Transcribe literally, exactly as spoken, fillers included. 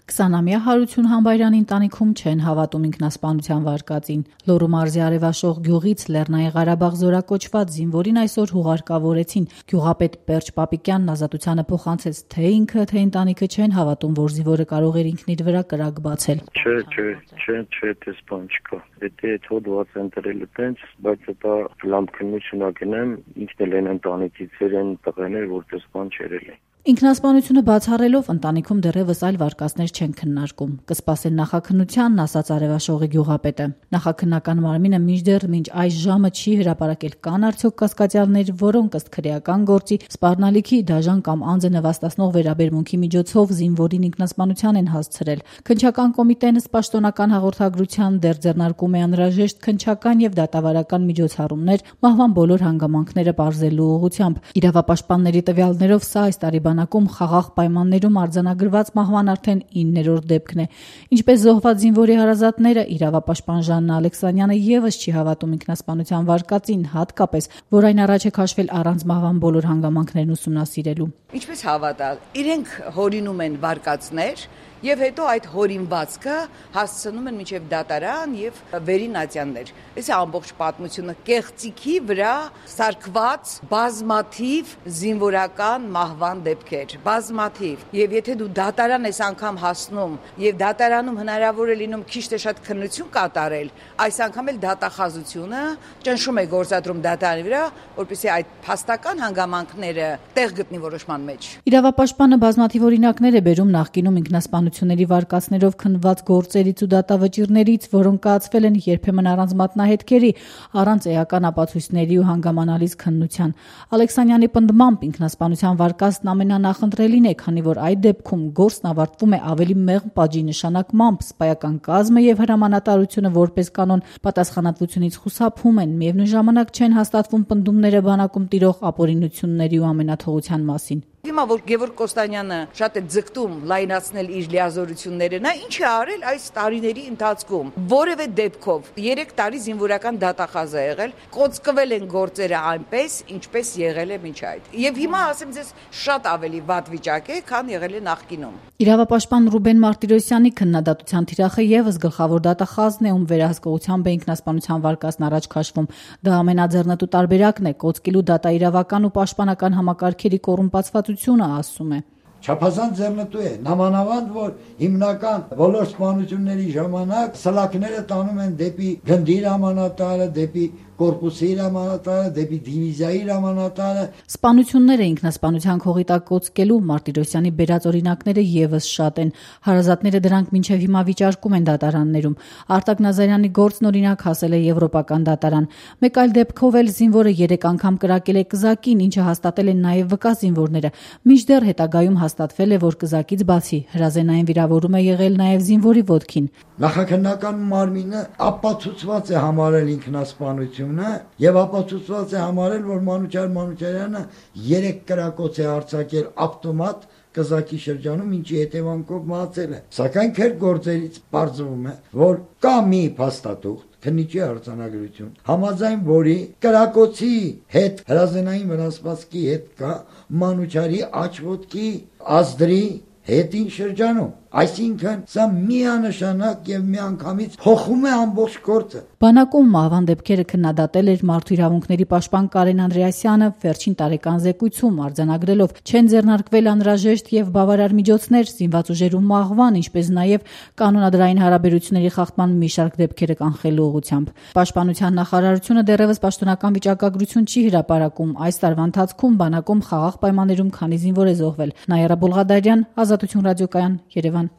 քսանամյա Հարություն Համբայրյանի ընտանիքում չեն հավատում ինքնասպանության վարկածին։ Լոռու մարզի Արևաշող գյուղից Լեռնային Ղարաբաղ զորակոչված զինվորին այսօր հուղարկավորեցին։ Գյուղապետ Պերճ Պապիկյանն ազատությանը փոխանցեց, թե ինքը, թե ընտանիքը չեն հավատում, որ զինվորը կարող էր ինքն իր վրա կրակ բացել։ Չէ, չէ, չէ, չէ, դες բան չկա։ Եթե հոդված ընտրել տենց, բայց դա լավ քննությունակն ինքն էլ են ընտանիքից են տղաներ, որ դες բան չերել է։ Ինքնասպանությունը բացառելով ընտանիքում դեռևս այլ վարկածներ չեն քննարկում։ Կսպասեն նախաքննությանն, ասաց Արևաշողի գյուղապետը։ Նախաքննական մարմինը մինչդեռ մինչ այս ժամը չի հրապարակել կան արդյոք կասկածյալներ, որոնք ըստ քրեական գործի սպառնալիքի, դաժան կամ անձը նվաստացնող վերաբերմունքի միջոցով զինվորին ինքնասպանության են հասցրել։ Քննչական կոմիտեն ըստ պաշտոնական հաղորդագրության դեռ ձեռնարկում է անհրաժեշտ քննչական եւ դատավարական միջոցառումներ մահվան բոլոր հանգամանքները պարզելու ուղղությամբ։ Իրավապաշտպանների տվյալներով սա այս տարի բանակում խաղաղ պայմաններում արձանագրված մահվան արդեն իններորդ դեպքն է։ Ինչպես զոհված զինվորի հարազատները, իրավապաշտպան Ժաննա Ալեքսանյանը եւս չի հավատում ինքնասպանության վարկածին, հատկապես, որ այն առաջ է քաշվել առանց մահվան բոլոր հանգամանքներն ուսումնասիրելու։ Ինչպես հավատալ, իրենք հորինում են վարկածներ եւ հետո այդ հորինվածքը հասցնում են մինչեւ դատարան եւ վերին ատյաններ։ Այս ամբողջ պատմությունը կեղծիքի վրա սարքված բազմաթիվ զինվորական մահվան դեպքեր, բազմաթիվ։ Եվ եթե դու դատարան ես անգամ հասնում եւ դատարանում հնարավոր է լինում քիչ թե շատ քննություն կատարել, այս անգամ էլ դատախազությունը ճնշում է գործադրում դատարանի վրա, որպեսզի այդ փաստական հանգամանքները տեղ գտնի որոշման մեջ։ Իրավապաշտպանը բազմաթիվ օրինակներ է բերում նախկինում ինքնասպանությունների վարկածներով քննված գործերից ու դատավճիռներից, որոնք կայացվել են երբեմն առանց մատնահետքերի, առանց էական ապացույցների ու հանգամանալից քննության։ Ալեքսանյանի պնդմամբ ինքնասպանության վարկածն ամենանախընտրելին է, քանի որ այդ դեպքում գործն ավարտվում է ավելի մեղմ պատժի նշանակմամբ, սպայական կազմը եւ հրամանատարությունը որպես կանոն պատասխանատվությունից խուսափում են, միևնույն ժամանակ չեն հաստատվում պնդումները բանակում տիրող ապօրինությունների ու ամենաթողության մասին։ Հիմա որ Գևորգ Կոստանյանը շատ է ձգտում լայնացնել իր լիազորությունները, նա ինչ է արել այս տարիների ընթացքում։ Որևէ դեպքով երեք տարի զինվորական դատախազ է եղել, կոծկվել են գործերը այնպես, ինչպես եղել է մինչ այդ։ Եվ հիմա ասեմ ձեզ շատ ավելի վատ վիճակ է, քան եղել է նախկինում։ Իրավապաշտպան Ռուբեն Մարտիրոսյանի քննադատության թիրախը եւս գլխավոր դատախազն է, ում վերահսկողությամբ է ինքնասպանության վարկածն առաջ քաշվում։ Դա ամենաձեռնտու տարբերակն է կոծկելու դատաիրավական ու պաշտպանական համակարգերի կոռումպացվածությունը, ասում է։ Չափազանց ձեռնտու է, նամանավանդ, որ հիմնական բոլոր սպանությունների ժամանակ սլաքները տանում են դեպի գնդի հրամանատարը, դեպի կորպուսի հրամանատարը, դեպի դիվիզիայի հրամանատարը։ Սպանությունները ինքնասպանության քողի տակ կոծկելու Մարտիրոսյանի բերած օրինակները եւս շատ են։ Հարազատները դրանք մինչեւ հիմա վիճարկում են դատարաններում։ Արտակ Նազարյանի գործն օրինակ հասել է եվրոպական դատարան։ Մեկ այլ դեպքով էլ զինվորը երեք անգամ կրակել է կզակին, ինչը հաստատել են նաեւ վկա զինվորները։ Մինչդեռ հետագայում հաստատվել է, որ կզակից բացի հրազենային վիրավորում է եղել նաեւ զինվորի ոտքին։ Նախաքննական մարմինը ապացուցված է համարել ինքնասպանությունը եւ ապացուցված է համարել, որ Մանուչար Մանուչարյանը երեք կրակոց է արձակել ավտոմատ կզակի շրջանում, ինչի հետևանքով մահացել է։ Սակայն քեր գործերից պարզվում է, որ կա մի փաստաթուղթ, քննիչի արձանագրություն, համաձայն որի կրակոցի հետ հրազենային վնասվածքի հետ կա Մանուչարի աչոտքի ազդրի հետին շրջանում։ Այսինքն սա միանշանակ եւ միանգամից փոխում է ամբողջ գործը։ Բանակում մահվան դեպքերը քննադատել էր Մարդու իրավունքների պաշտպան Կարեն Անդրեասյանը վերջին տարեկան զեկույցում արձանագրելով չեն ձեռնարկվել անհրաժեշտ եւ բավարար միջոցներ զինված ուժերու մահվան, ինչպես նաեւ կանոնադրային հարաբերությունների խախտման մի շարք դեպքերը կանխելու ուղղությամբ։ Պաշտպանության նախարարությունը դեռևս պաշտոնական վիճակագրություն չի հրապարակում այս տարվա ընթացքում բանակում խաղաղ պայմաններում քանի զինվոր է զոհվել։ Նաիրա Բոլղադարյան, Ազատություն ռադիոկայան, Երևան։